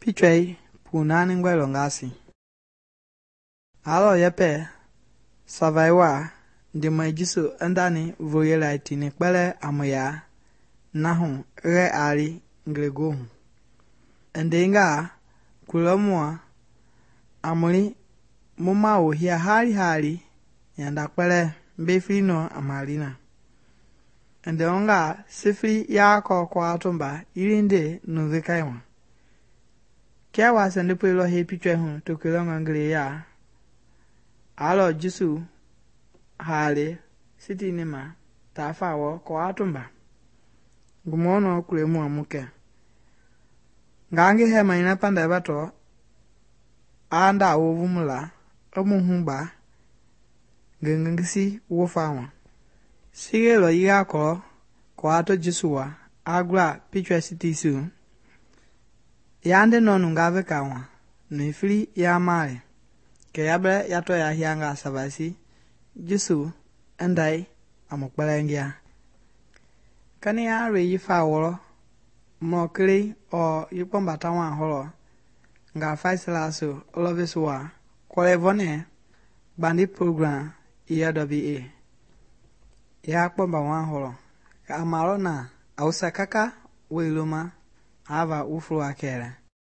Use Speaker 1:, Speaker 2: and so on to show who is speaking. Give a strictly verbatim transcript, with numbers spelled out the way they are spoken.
Speaker 1: Pichwei punani ngwɛlɔ ngasi. Alɔ yɛpɛ savai wa ndimɔi Jesu ndani voyela tini kpɛlɛ a muya nahu rɛ ali ngelegoohu. Ndengaa kulɔ mua a muli mu mawo hia hali hali nyanda kpɛlɛ mbefili nɔ a malina. Ndewonga sifili ya kɔ kɔatumba yilinde nuvekai ma. Kia wa sɛndepoi lɔ hei pichwei hu tokelɔnga ngeleya. Alɔ Jesu hali sitini ma tafa wɔ kɔatumba. Gumɔnɔ kule mua mukɛ. Ngange hɛma ina panda batɔ anda wovumula omuhugba ngengesi wofa wa. Sige lɔ yiga kɔlɔ kɔato Jesu wa agla pichwei sitisiu. Yande nɔ nunga veka wa nefili ya mali. Kɛ yabɛ yatɔ ya hianga savaisi Jesu ndai a mu kpɛlɛngia. Kani ya re yifa wɔlɔ mɔ kele ɔ yikpɔmbata wa hɔlɔ nga faisilasu ɔlɔvesu wa kɔlɛ vɔnɛ gbandi program E L W A. Ya kpɔmba wa hɔlɔ ka amalɔ na awusa kaka weloma ava uflo akɛlɛ.